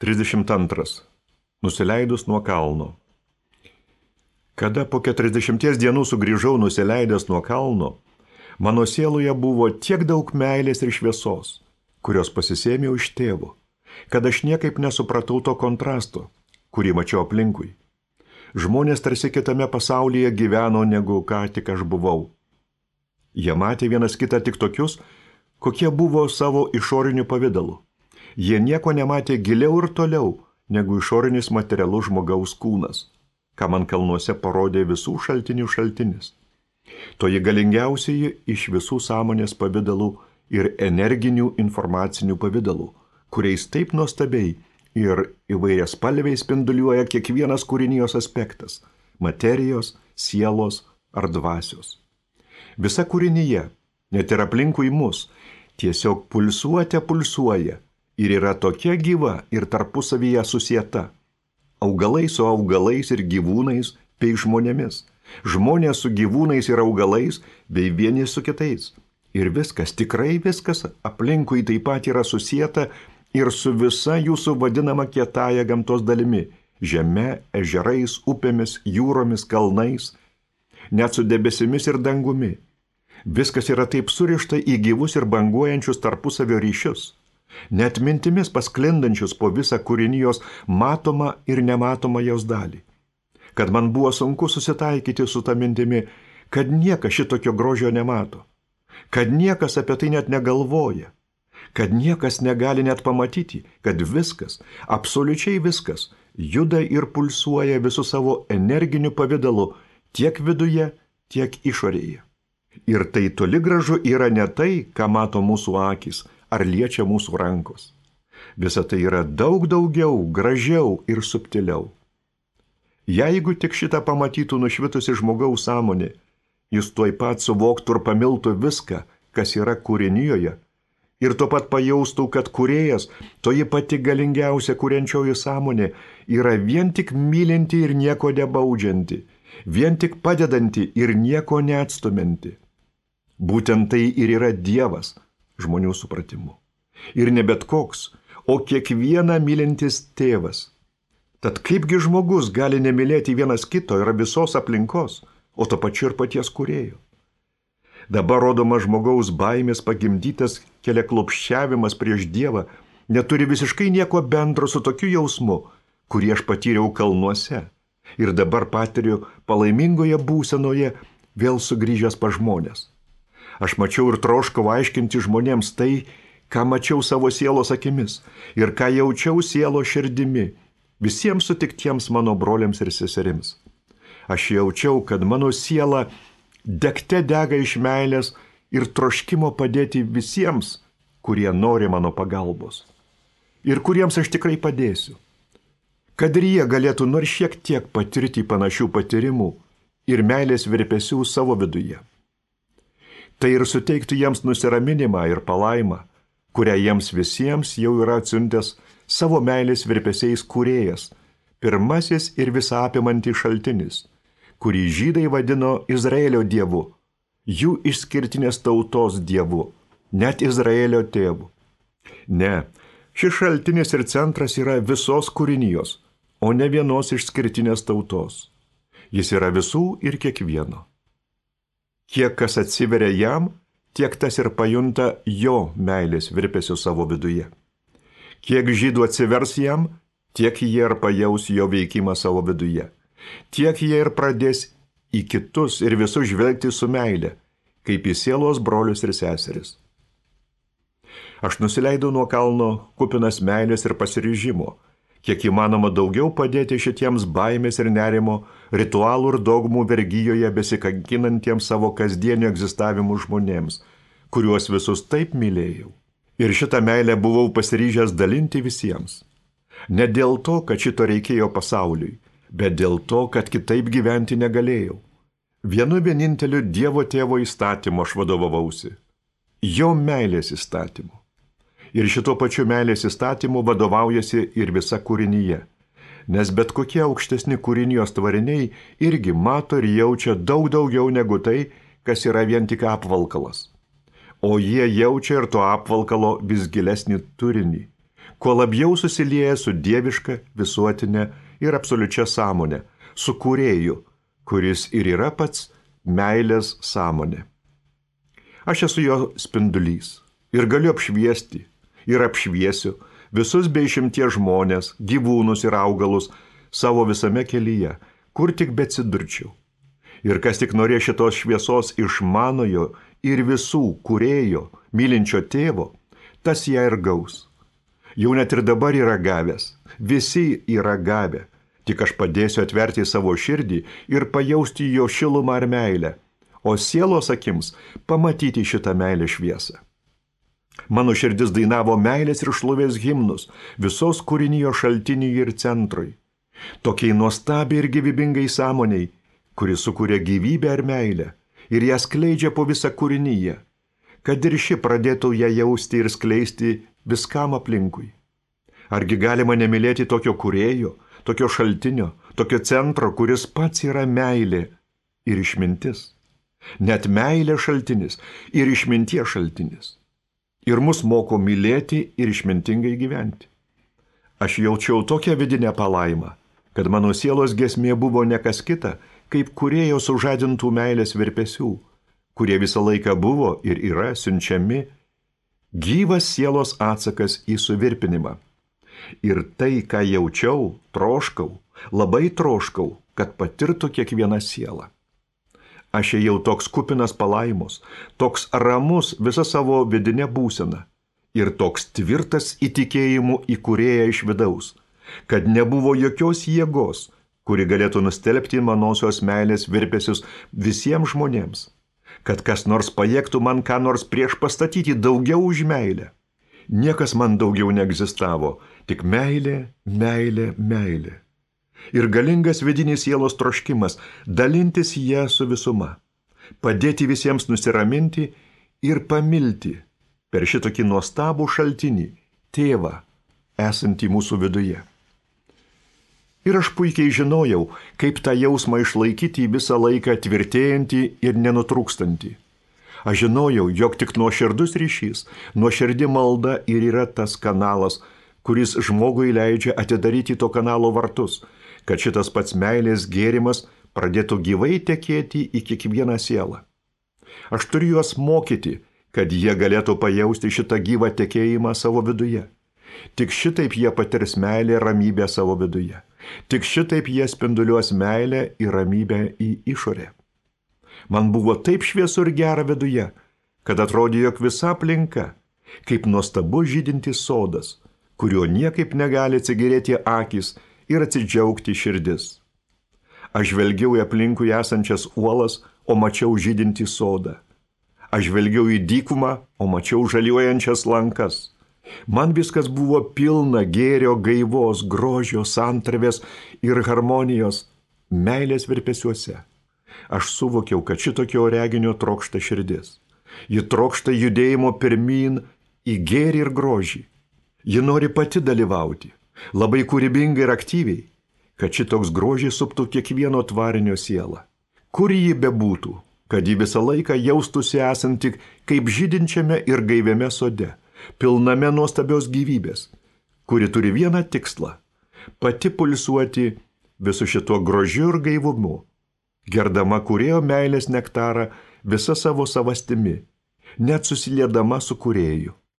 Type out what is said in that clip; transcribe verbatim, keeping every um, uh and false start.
trisdešimt antras. Nusileidus nuo kalno. Kada po keturiasdešimties dienų sugrįžau nusileidęs nuo kalno, mano sieloje buvo tiek daug meilės ir šviesos, kurios pasisėmiau iš tėvo, kad aš niekaip nesupratau to kontrasto, kurį mačiau aplinkui. Žmonės tarsi kitame pasaulyje gyveno, negu ką tik aš buvau. Jie matė vienas kitą tik tokius, kokie buvo savo išoriniu pavidalu. Jie nieko nematė giliau ir toliau, negu išorinis materialus žmogaus kūnas, ką man kalnuose parodė visų šaltinių šaltinis. Toji galingiausiai iš visų sąmonės pavidalų ir energinių informacinių pavidalų, kuriais taip nuostabiai ir įvairias spalviai spinduliuoja kiekvienas kūrinijos aspektas – materijos, sielos ar dvasios. Visa kūrinyje, net ir aplinkui mus, tiesiog pulsuote pulsuoja ir yra tokia gyva ir tarpusavyje susieta. Augalai su augalais ir gyvūnais bei žmonėmis. Žmonės su gyvūnais ir augalais bei vieni su kitais. Ir viskas, tikrai viskas aplinkui taip pat yra susieta ir su visa jūsų vadinama kietąja gamtos dalimi. Žeme, ežerais, upėmis, jūromis, kalnais, net su debesimis ir dangumi. Viskas yra taip surišta į gyvus ir banguojančius tarpusavio ryšius. Net mintimis pasklindančius po visą kūrinijos matomą ir nematomą jos dalį. Kad man buvo sunku susitaikyti su ta mintimi, kad niekas šitokio grožio nemato, kad niekas apie tai net negalvoja, kad niekas negali net pamatyti, kad viskas, absoliučiai viskas, juda ir pulsuoja visų savo energiniu pavidalu tiek viduje, tiek išorėje. Ir tai toli gražu yra ne tai, ką mato mūsų akys, ar liečia mūsų rankos. Visa tai yra daug daugiau, gražiau ir subtiliau. Jeigu tik šitą pamatytų nušvitusi žmogaus sąmonė, jis tuoj pat suvoktų ir pamiltų viską, kas yra kūrinijoje, ir tuo pat pajaustų, kad kūrėjas, toji pati galingiausia kuriančioji sąmonė, yra vien tik mylinti ir nieko nebaudžianti, vien tik padedanti ir nieko neatstumianti. Būtent tai ir yra Dievas, žmonių supratimu. Ir ne bet koks, o kiekvieną mylintis tėvas. Tad kaipgi žmogus gali nemylėti vienas kito ir visos aplinkos, o to pačiu ir paties kūrėjo. Dabar rodoma žmogaus baimės pagimdytas keliaklopščiavimas prieš Dievą neturi visiškai nieko bendro su tokiu jausmu, kurį aš patyriau kalnuose ir dabar patiriu palaimingoje būsenoje vėl sugrįžęs pas žmonės. Aš mačiau ir troškau aiškinti žmonėms tai, ką mačiau savo sielos akimis ir ką jaučiau sielos širdimi, visiems sutiktiems mano broliams ir seserims. Aš jaučiau, kad mano siela degte dega iš meilės ir troškimo padėti visiems, kurie nori mano pagalbos. Ir kuriems aš tikrai padėsiu. Kad ir jie galėtų nors šiek tiek patirti panašių patyrimų ir meilės virpesių savo viduje. Tai ir suteiktų jiems nusiraminimą ir palaimą, kurią jiems visiems jau yra atsiuntęs savo meilės virpesiais kūrėjas, pirmasis ir visą apimantį šaltinis, kurį žydai vadino Izraelio dievu, jų išskirtinės tautos dievu, net Izraelio tėvu. Ne, šis šaltinis ir centras yra visos kūrinijos, o ne vienos išskirtinės tautos. Jis yra visų ir kiekvieno. Kiek kas atsiveria jam, tiek tas ir pajunta jo meilės virpesių savo viduje. Kiek žydų atsivers jam, tiek jie ir pajaus jo veikimą savo viduje. Tiek jie ir pradės į kitus ir visus žvelgti su meile, kaip į sielos brolius ir seseris. Aš nusileidau nuo kalno kupinas meilės ir pasiryžimo, kiek įmanoma daugiau padėti šitiems baimės ir nerimo, ritualų ir dogmų vergijoje besikankinantiems savo kasdienio egzistavimų žmonėms, kuriuos visus taip mylėjau. Ir šitą meilę buvau pasiryžęs dalinti visiems. Ne dėl to, kad šito reikėjo pasauliui, bet dėl to, kad kitaip gyventi negalėjau. Vienu vieninteliu Dievo tėvo įstatymu aš vadovavausi. Jo meilės įstatymu. Ir šito pačiu meilės įstatymu vadovaujasi ir visa kūrinyje. Nes bet kokie aukštesni kūrinijos tvariniai irgi mato ir jaučia daug daugiau negu tai, kas yra vien tik apvalkalas. O jie jaučia ir to apvalkalo vis gilesnį turinį, kuo labiau susilieja su dieviška, visuotinė ir absoliučia sąmonė, su kūrėju, kuris ir yra pats meilės sąmonė. Aš esu jo spindulys ir galiu apšviesti ir apšviesiu visus be išimties žmonės, gyvūnus ir augalus savo visame kelyje, kur tik beatsidurčiau. Ir kas tik norės šitos šviesos iš manojo ir visų kūrėjo, mylinčio tėvo, tas ją ir gaus. Jau net ir dabar yra gavęs, visi yra gavę, tik aš padėsiu atverti savo širdį ir pajausti jo šilumą ar meilę, o sielos akims pamatyti šitą meilę šviesą. Mano širdis dainavo meilės ir šlovės himnus visos kūrinijos šaltiniui ir centrui, tokiai nuostabiai ir gyvybingai sąmoniai, kuris sukuria gyvybę ar meilę ir ją skleidžia po visą kūriniją, kad ir ši pradėtų ją jausti ir skleisti viskam aplinkui. Argi galima nemylėti tokio kūrėjo, tokio šaltinio, tokio centro, kuris pats yra meilė ir išmintis? Net meilė šaltinis ir išminties šaltinis. Ir mus moko mylėti ir išmintingai gyventi. Aš jaučiau tokią vidinę palaimą, kad mano sielos giesmė buvo ne kas kita, kaip kūrėjo sužadintų meilės virpesių, kurie visą laiką buvo ir yra siunčiami, gyvas sielos atsakas į suvirpinimą. Ir tai, ką jaučiau, troškau, labai troškau, kad patirtų kiekviena siela. Aš ėjau toks kupinas palaimos, toks ramus visą savo vidinę būseną ir toks tvirtas įtikėjimu į kūrėją iš vidaus, kad nebuvo jokios jėgos, kuri galėtų nustelbti manosios meilės virpesius visiems žmonėms, kad kas nors pajėgtų man ką nors prieš pastatyti daugiau už meilę. Niekas man daugiau neegzistavo, tik meilė, meilė, meilė. Ir galingas vidinis sielos troškimas dalintis ją su visuma, padėti visiems nusiraminti ir pamilti per šitokį nuostabų šaltinį, tėvą, esantį mūsų viduje. Ir aš puikiai žinojau, kaip tą jausmą išlaikyti visą laiką tvirtėjantį ir nenutrūkstantį. Aš žinojau, jog tik nuoširdus ryšys, nuoširdi malda ir yra tas kanalas, kuris žmogui leidžia atidaryti to kanalo vartus, kad šitas pats meilės gėrimas pradėtų gyvai tekėti į kiekvieną sielą. Aš turiu juos mokyti, kad jie galėtų pajausti šitą gyvą tekėjimą savo viduje. Tik šitaip jie patirs meilę ir ramybę savo viduje. Tik šitaip jie spinduliuos meilę ir ramybę į išorę. Man buvo taip šviesu ir gera viduje, kad atrodė, jog visa aplinka, kaip nuostabus žydintis sodas, kurio niekaip negali atsigėrėti akys ir atsidžiaugti širdis. Aš žvelgiau į aplinkui esančias uolas, o mačiau žydintį sodą. Aš žvelgiau į dykumą, o mačiau žaliuojančias lankas. Man viskas buvo pilna gėrio, gaivos, grožio, santarvės ir harmonijos meilės virpesiuose. Aš suvokiau, kad šitokio reginio trokšta širdis. Ji trokšta judėjimo pirmyn į gėrį ir grožį. Ji nori pati dalyvauti, labai kūrybingai ir aktyviai, kad šitoks grožis suptų kiekvieno tvarinio sielą. Kur ji bebūtų, kad ji visą laiką jaustųsi esanti kaip žydinčiame ir gaiviame sode, pilname nuostabios gyvybės, kuri turi vieną tikslą – pati pulsuoti visu šituo grožiu ir gaivumu, gerdama kūrėjo meilės nektarą visą savo savastimi, net susiliedama su kūrėju.